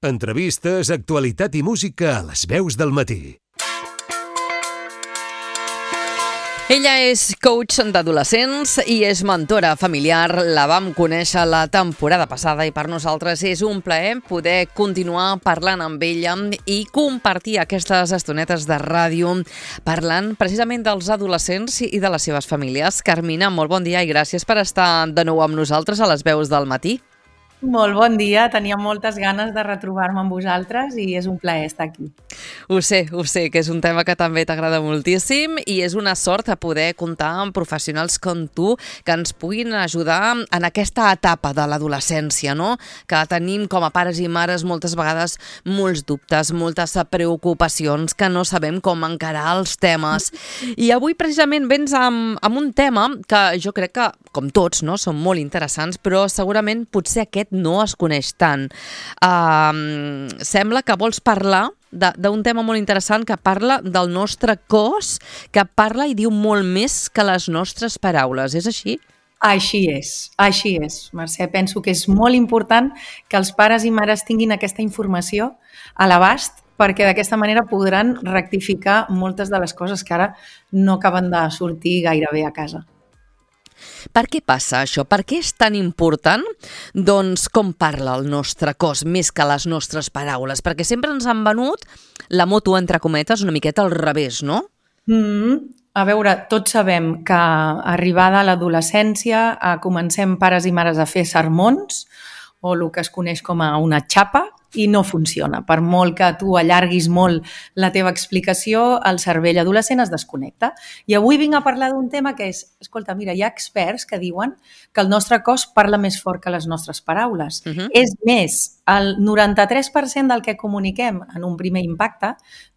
Entrevistes, actualitat i música a les veus del matí. Ella és coach d'adolescents i és mentora familiar. La vam conèixer la temporada passada i per nosaltres és un plaer poder continuar parlant amb ella i compartir aquestes estonetes de ràdio parlant precisament dels adolescents i de les seves famílies. Carmina, molt bon dia i gràcies per estar de nou amb nosaltres a les veus del matí. Molt bon dia, tenia moltes ganes de retrobar-me amb vosaltres i és un plaer estar aquí. Ho sé, que és un tema que també t'agrada moltíssim i és una sort a poder comptar amb professionals com tu que ens puguin ajudar en aquesta etapa de l'adolescència, no? Que tenim com a pares i mares moltes vegades molts dubtes, moltes preocupacions, que no sabem com encarar els temes. I avui precisament vens amb un tema que jo crec que, com tots, no, són molt interessants, però segurament potser aquest no es coneix tant. Sembla que vols parlar d'un tema molt interessant que parla del nostre cos, que parla i diu molt més que les nostres paraules. És així? Així és, Mercè. Penso que és molt important que els pares i mares tinguin aquesta informació a l'abast perquè d'aquesta manera podran rectificar moltes de les coses que ara no acaben de sortir gaire bé a casa. Per què passa això? Per què és tan important, doncs, com parla el nostre cos més que les nostres paraules? Perquè sempre ens han venut la moto, entre cometes, una miqueta al revés, no? A veure, tots sabem que arribada a l'adolescència comencem pares i mares a fer sermons o el que es coneix com a una xapa i no funciona. Per molt que tu allarguis molt la teva explicació, el cervell adolescent es desconnecta. I avui vinc a parlar d'un tema que és, escolta, mira, hi ha experts que diuen que el nostre cos parla més fort que les nostres paraules. És més, el 93% del que comuniquem en un primer impacte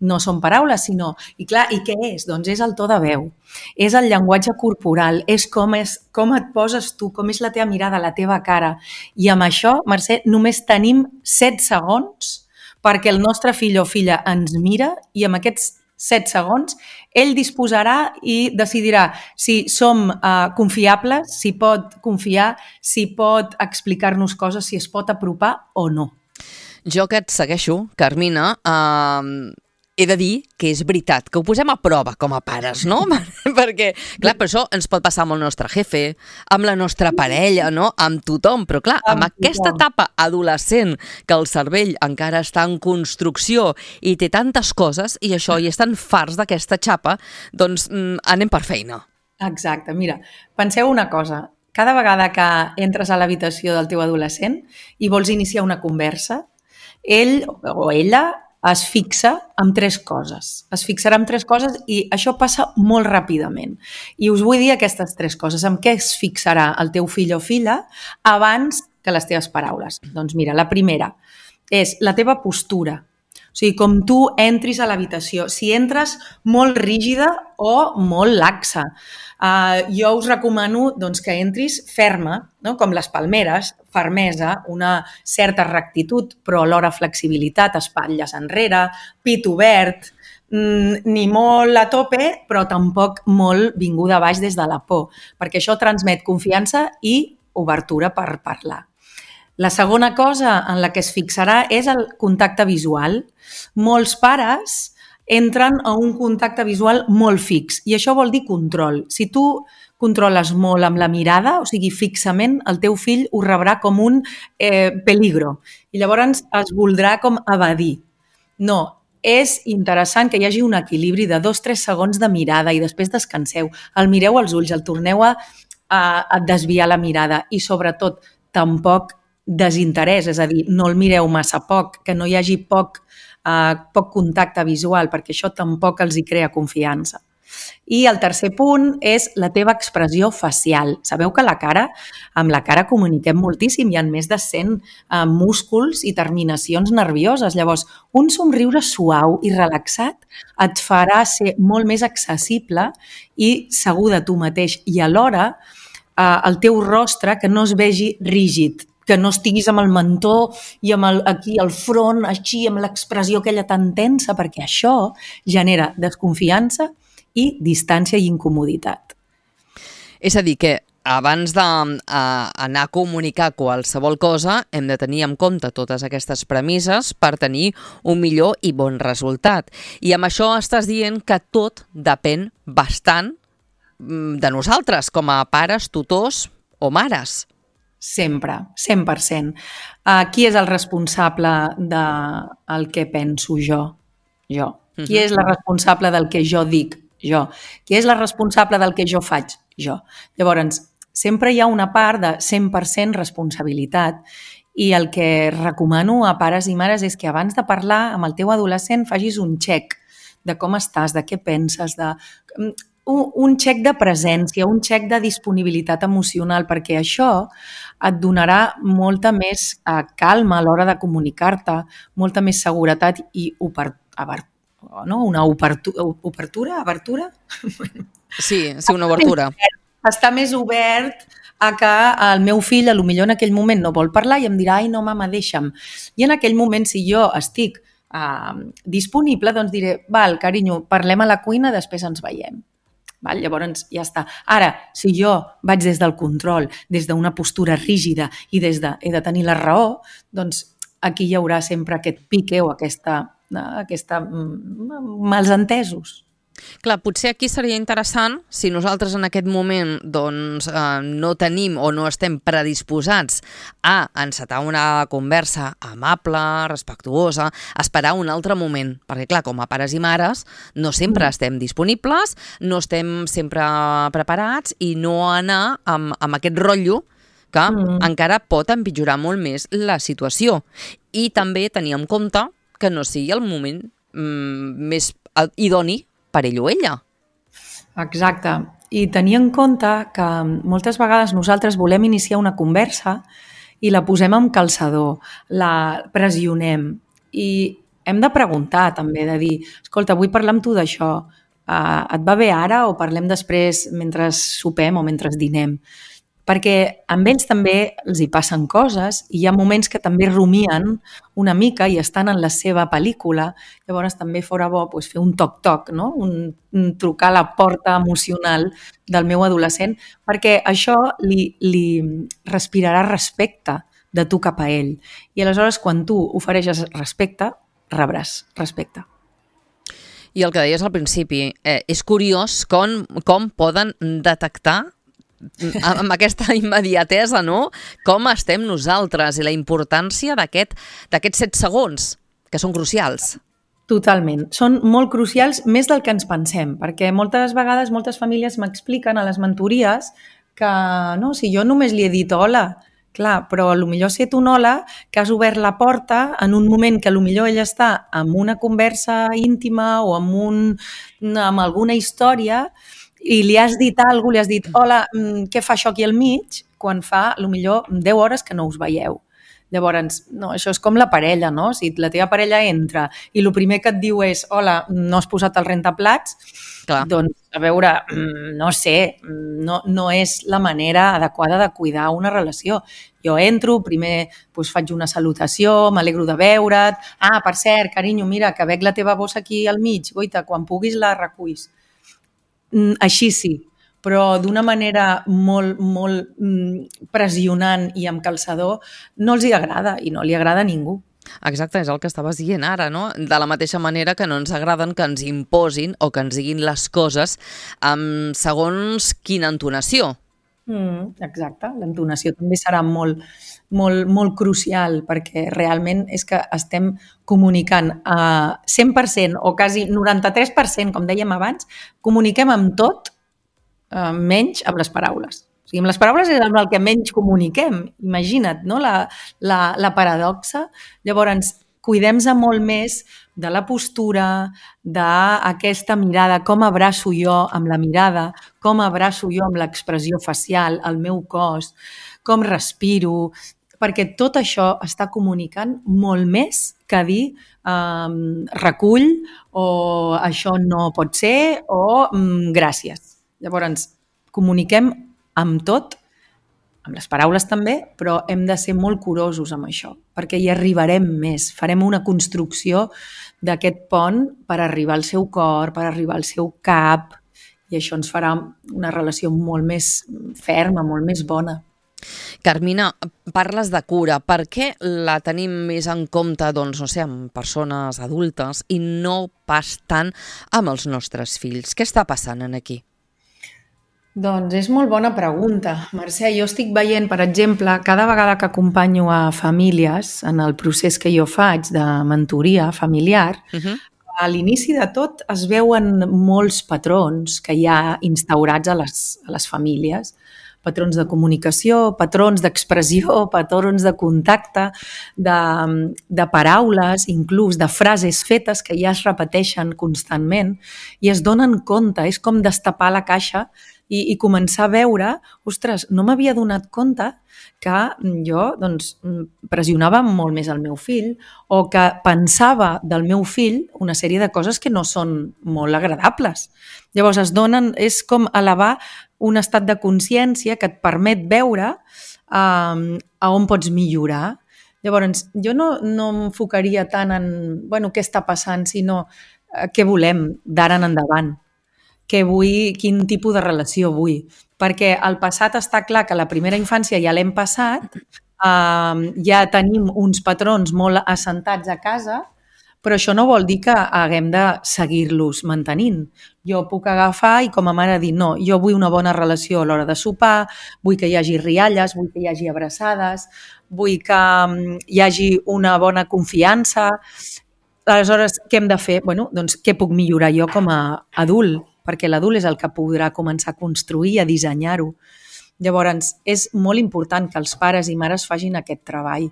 no són paraules, sinó... I clar, i què és? Doncs és el to de veu, és el llenguatge corporal, és com et poses tu, com és la teva mirada, la teva cara. I amb això, Mercè, només tenim 7 segons perquè el nostre fill o filla ens mira i amb aquests 7 segons ell disposarà i decidirà si som confiables, si pot confiar, si pot explicar-nos coses, si es pot apropar o no. Jo que et segueixo, Carmina, he de dir que és veritat, que ho posem a prova com a pares, no? Perquè, clar, per això ens pot passar amb el nostre jefe, amb la nostra parella, no? Amb tothom, però clar, amb aquesta etapa adolescent que el cervell encara està en construcció i té tantes coses i això, i estan farts d'aquesta xapa, doncs anem per feina. Exacte, mira, penseu una cosa, cada vegada que entres a l'habitació del teu adolescent i vols iniciar una conversa, ell o ella es fixa en 3 coses. Es fixarà en 3 coses i això passa molt ràpidament. I us vull dir aquestes 3 coses. En què es fixarà el teu fill o filla abans que les teves paraules? Doncs mira, la primera és la teva postura. O sigui, com tu entris a l'habitació. Si entres molt rígida o molt laxa. Jo us recomano doncs, que entris ferma, no? Com les palmeres, fermesa, una certa rectitud, però alhora flexibilitat, espatlles enrere, pit obert, ni molt a tope, però tampoc molt vinguda a baix des de la por, perquè això transmet confiança i obertura per parlar. La segona cosa en la que es fixarà és el contacte visual. Molts pares entren a un contacte visual molt fix i això vol dir control. Si tu controles molt amb la mirada, o sigui, fixament, el teu fill ho rebrà com un peligro i llavors es voldrà com evadir. No, és interessant que hi hagi un equilibri de 2-3 segons de mirada i després descanseu, el mireu als ulls, el torneu a desviar la mirada i sobretot tampoc desinterès, és a dir, no el mireu massa poc, que no hi hagi poc contacte visual, perquè això tampoc els hi crea confiança. I el tercer punt és la teva expressió facial. Sabeu que amb la cara comuniquem moltíssim, hi ha més de 100 músculs i terminacions nervioses. Llavors, un somriure suau i relaxat et farà ser molt més accessible i segur de tu mateix. I alhora, el teu rostre que no es vegi rígid, que no estiguis amb el mentó i amb aquí al front, així, amb l'expressió aquella tan tensa, perquè això genera desconfiança i distància i incomoditat. És a dir, que abans d'anar a comunicar qualsevol cosa, hem de tenir en compte totes aquestes premisses per tenir un millor i bon resultat. I amb això estàs dient que tot depèn bastant de nosaltres, com a pares, tutors o mares. Sempre, 100%. Qui és el responsable del que penso jo? Jo. Qui és la responsable del que jo dic? Jo. Qui és la responsable del que jo faig? Jo. Llavors, sempre hi ha una part de 100% responsabilitat i el que recomano a pares i mares és que abans de parlar amb el teu adolescent facis un check de com estàs, de què penses, un check de presència, un check de disponibilitat emocional, perquè això et donarà molta més calma a l'hora de comunicar-te, molta més seguretat i una obertura? Sí, una obertura. Està més obert a que el meu fill potser en aquell moment no vol parlar i em dirà, ai no mama, deixa'm. I en aquell moment, si jo estic disponible, doncs diré, val, carinyo, parlem a la cuina, després ens veiem. Val? Llavors ja està. Ara, si jo vaig des del control, des d'una postura rígida i he de tenir la raó, doncs aquí hi haurà sempre aquest pique o aquesta malsentesos. Clar, potser aquí seria interessant, si nosaltres en aquest moment no tenim o no estem predisposats a encetar una conversa amable, respectuosa, esperar un altre moment, perquè clar, com a pares i mares no sempre estem disponibles, no estem sempre preparats i no anar amb aquest rotllo que encara pot empitjorar molt més la situació. I també tenir en compte que no sigui el moment més idoni per ell o ella. Exacte. I tenir en compte que moltes vegades nosaltres volem iniciar una conversa i la posem amb calçador, la pressionem i hem de preguntar també, de dir, escolta, vull parlar amb tu d'això, et va bé ara o parlem després mentre sopem o mentre dinem? Perquè amb ells també els hi passen coses i hi ha moments que també rumien una mica i estan en la seva pel·lícula. Llavors també fora bo fer un toc-toc, no? Un trucar a la porta emocional del meu adolescent, perquè això li respirarà respecte de tu cap a ell. I aleshores, quan tu ofereixes respecte, rebràs respecte. I el que deies al principi, és curiós com poden detectar amb aquesta immediatesa, no? Com estem nosaltres i la importància d'aquests 7 segons, que són crucials. Totalment. Són molt crucials, més del que ens pensem, perquè moltes vegades moltes famílies m'expliquen a les mentories que no, si jo només li he dit hola, clar, però potser ha set un hola que has obert la porta en un moment que potser ella està amb una conversa íntima o amb alguna història i li has dit alguna cosa, li has dit hola, què fa això aquí al mig? Quan fa, potser 10 hores que no us veieu. Llavors, no, això és com la parella, no? Si la teva parella entra i el primer que et diu és hola, no has posat el rentaplats, clar. Doncs, a veure, no sé, no és la manera adequada de cuidar una relació. Jo entro, primer faig una salutació, m'alegro de veure't, per cert, carinyo, mira, que veig la teva bossa aquí al mig, goita, quan puguis la reculls. Així sí, però d'una manera molt, molt pressionant i amb calçador no els hi agrada i no li agrada a ningú. Exacte, és el que estaves dient ara, no? De la mateixa manera que no ens agraden que ens imposin o que ens diguin les coses amb segons quina entonació. Exacte, l'entonació també serà molt, molt, molt crucial perquè realment és que estem comunicant a 100% o quasi 93%, com dèiem abans, comuniquem amb tot, menys amb les paraules. O sigui, amb les paraules és amb el que menys comuniquem. Imagina't, no? La paradoxa. Llavors, cuidem-se molt més de la postura, d'aquesta mirada, com abraço jo amb la mirada, com abraço jo amb l'expressió facial, el meu cos, com respiro, perquè tot això està comunicant molt més que dir recull o això no pot ser o gràcies. Llavors, comuniquem amb tot, amb les paraules també, però hem de ser molt curosos amb això, perquè hi arribarem més, farem una construcció d'aquest pont per arribar al seu cor, per arribar al seu cap i això ens farà una relació molt més ferma, molt més bona. Carmina, parles de cura. Per què la tenim més en compte, doncs, no sé, amb persones adultes i no pas tant amb els nostres fills? Què està passant aquí? Doncs és molt bona pregunta, Mercè. Jo estic veient, per exemple, cada vegada que acompanyo a famílies en el procés que jo faig de mentoria familiar, a l'inici de tot es veuen molts patrons que hi ha instaurats a les famílies, patrons de comunicació, patrons d'expressió, patrons de contacte, de paraules, inclús de frases fetes que ja es repeteixen constantment i es donen compte, és com destapar la caixa i començar a veure, ostres, no m'havia donat compte que jo doncs, pressionava molt més el meu fill o que pensava del meu fill una sèrie de coses que no són molt agradables. Llavors és com elevar un estat de consciència que et permet veure a on pots millorar. Llavors, jo no m'enfocaria tant en què està passant, sinó què volem d'ara en endavant. Què vull, quin tipus de relació vull. Perquè el passat està clar que la primera infància ja l'hem passat, ja tenim uns patrons molt assentats a casa, però això no vol dir que haguem de seguir-los mantenint. Jo puc agafar i com a mare dir no, jo vull una bona relació a l'hora de sopar, vull que hi hagi rialles, vull que hi hagi abraçades, vull que hi hagi una bona confiança. Aleshores, què hem de fer? Doncs què puc millorar jo com a adult? Perquè l'adult és el que podrà començar a construir, a dissenyar-ho. Llavors, és molt important que els pares i mares facin aquest treball.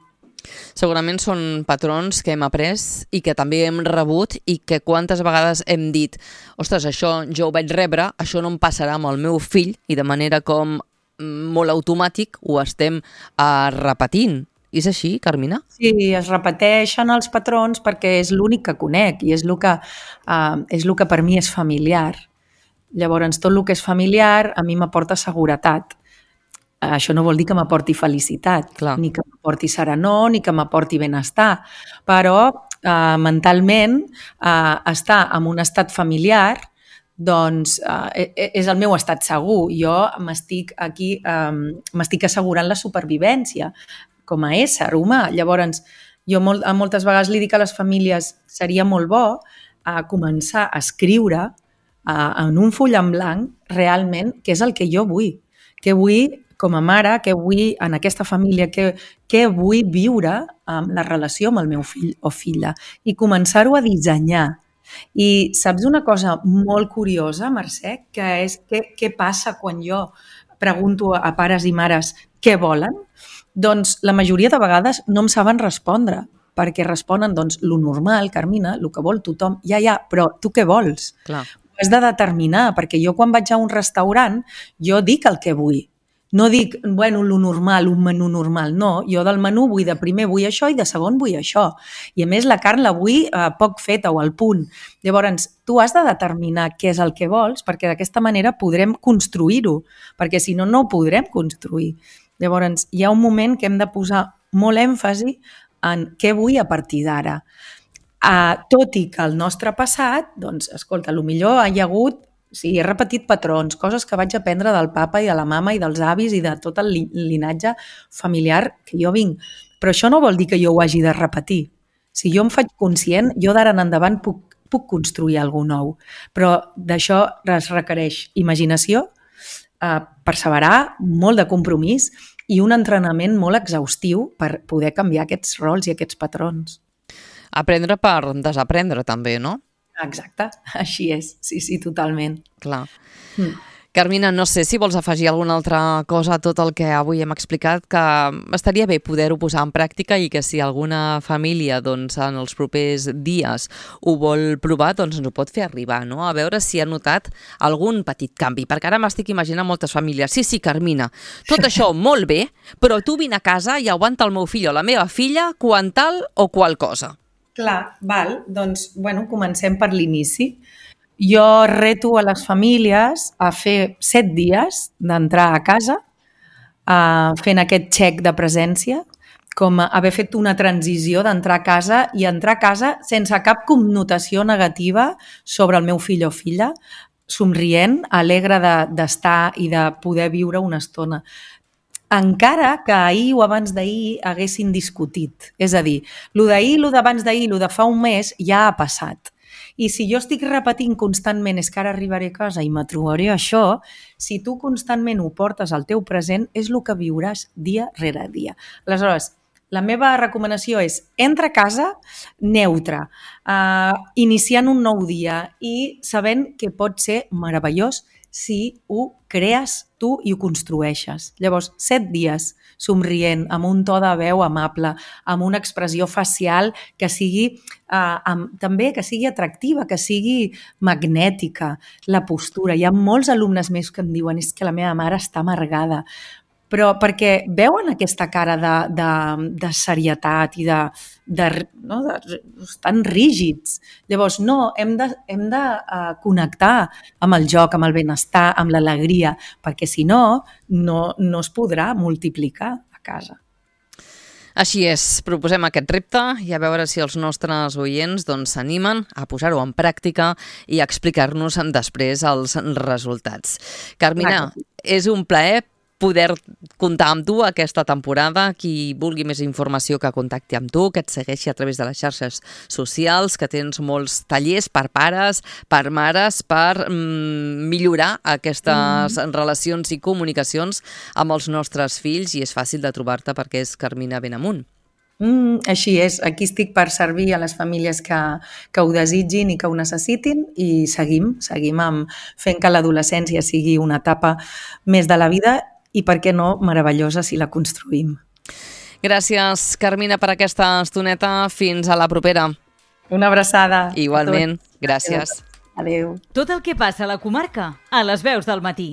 Segurament són patrons que hem après i que també hem rebut i que quantes vegades hem dit ostres, això jo ho vaig rebre, això no em passarà amb el meu fill i de manera com molt automàtic ho estem repetint. És així, Carmina? Sí, es repeteixen els patrons perquè és l'únic que conec i és el que per mi és familiar. Llavors, tot el que és familiar a mi m'aporta seguretat. Això no vol dir que m'aporti felicitat, ni que m'aporti serenor, ni que m'aporti benestar, però mentalment estar en un estat familiar doncs és el meu estat segur. Jo m'estic assegurant la supervivència com a ésser humà. Llavors, jo moltes vegades li dic a les famílies seria molt bo començar a escriure en un full en blanc realment què és el que jo vull. Què vull com a mare, què vull en aquesta família, què vull viure en la relació amb el meu fill o filla i començar-ho a dissenyar. I saps una cosa molt curiosa, Mercè, que és què passa quan jo pregunto a pares i mares què volen? Doncs la majoria de vegades no em saben respondre, perquè responen lo normal, Carmina, el que vol tothom. Ja, però tu què vols? Clar. Ho has de determinar, perquè jo quan vaig a un restaurant, jo dic el que vull. No dic, lo normal, un menú normal, no. Jo del menú de primer vull això i de segon vull això. I a més la carn la vull poc feta o al punt. Llavors, tu has de determinar què és el que vols perquè d'aquesta manera podrem construir-ho, perquè si no, no ho podrem construir. Llavors, hi ha un moment que hem de posar molt èmfasi en què vull a partir d'ara. Tot i que el nostre passat, doncs, escolta, potser hi ha hagut he repetit patrons, coses que vaig aprendre del papa i de la mama i dels avis i de tot el linatge familiar que jo vinc. Però això no vol dir que jo ho hagi de repetir. Si jo em faig conscient, jo d'ara en endavant puc construir alguna nou. Però d'això es requereix imaginació, perseverar, molt de compromís i un entrenament molt exhaustiu per poder canviar aquests rols i aquests patrons. Aprendre per desaprendre també, no? Exacte, així és, sí, totalment. Clar. Carmina, no sé si vols afegir alguna altra cosa a tot el que avui hem explicat, que estaria bé poder-ho posar en pràctica i que si alguna família doncs, en els propers dies ho vol provar, doncs ens ho pot fer arribar, no? A veure si ha notat algun petit canvi, perquè ara m'estic imaginant moltes famílies. Sí, Carmina, tot això molt bé, però tu vine a casa i aguanta el meu fill o la meva filla quan tal o qual cosa. Clar, val. Doncs, comencem per l'inici. Jo reto a les famílies a fer 7 dies d'entrar a casa fent aquest check de presència, com haver fet una transició d'entrar a casa i entrar a casa sense cap connotació negativa sobre el meu fill o filla. somrient, alegre d'estar i de poder viure una estona. Encara que ahir o abans d'ahir haguessin discutit. És a dir, lo d'ahir, lo d'abans d'ahir, lo de fa un mes ja ha passat. I si jo estic repetint constantment és que ara arribaré a casa i me trobaré això, si tu constantment ho portes al teu present, és el que viuràs dia rere dia. Aleshores, la meva recomanació és entra a casa neutre, iniciant un nou dia i sabent que pot ser meravellós si ho crees tu i ho construeixes. Llavors, 7 dies somrient, amb un to de veu amable, amb una expressió facial que sigui també que sigui atractiva, que sigui magnètica, la postura. Hi ha molts alumnes meus que em diuen és que la meva mare està amargada, però perquè veuen aquesta cara de serietat i estan rígids. Llavors, no, hem de connectar amb el joc, amb el benestar, amb l'alegria, perquè si no, no es podrà multiplicar a casa. Així és, proposem aquest repte i a veure si els nostres oients s'animen a posar-ho en pràctica i a explicar-nos després els resultats. Carmina, és un plaer poder comptar amb tu aquesta temporada. Qui vulgui més informació que contacti amb tu, que et segueixi a través de les xarxes socials, que tens molts tallers per pares, per mares, per millorar aquestes relacions i comunicacions amb els nostres fills, i és fàcil de trobar-te perquè és Carmina Benamunt. Així és, aquí estic per servir a les famílies que ho desitgin i que ho necessitin, i seguim fent que l'adolescència sigui una etapa més de la vida i, per què no, meravellosa si la construïm. Gràcies, Carmina, per aquesta estoneta. Fins a la propera. Una abraçada. Igualment, gràcies. Adéu. Tot el que passa a la comarca, a les veus del matí.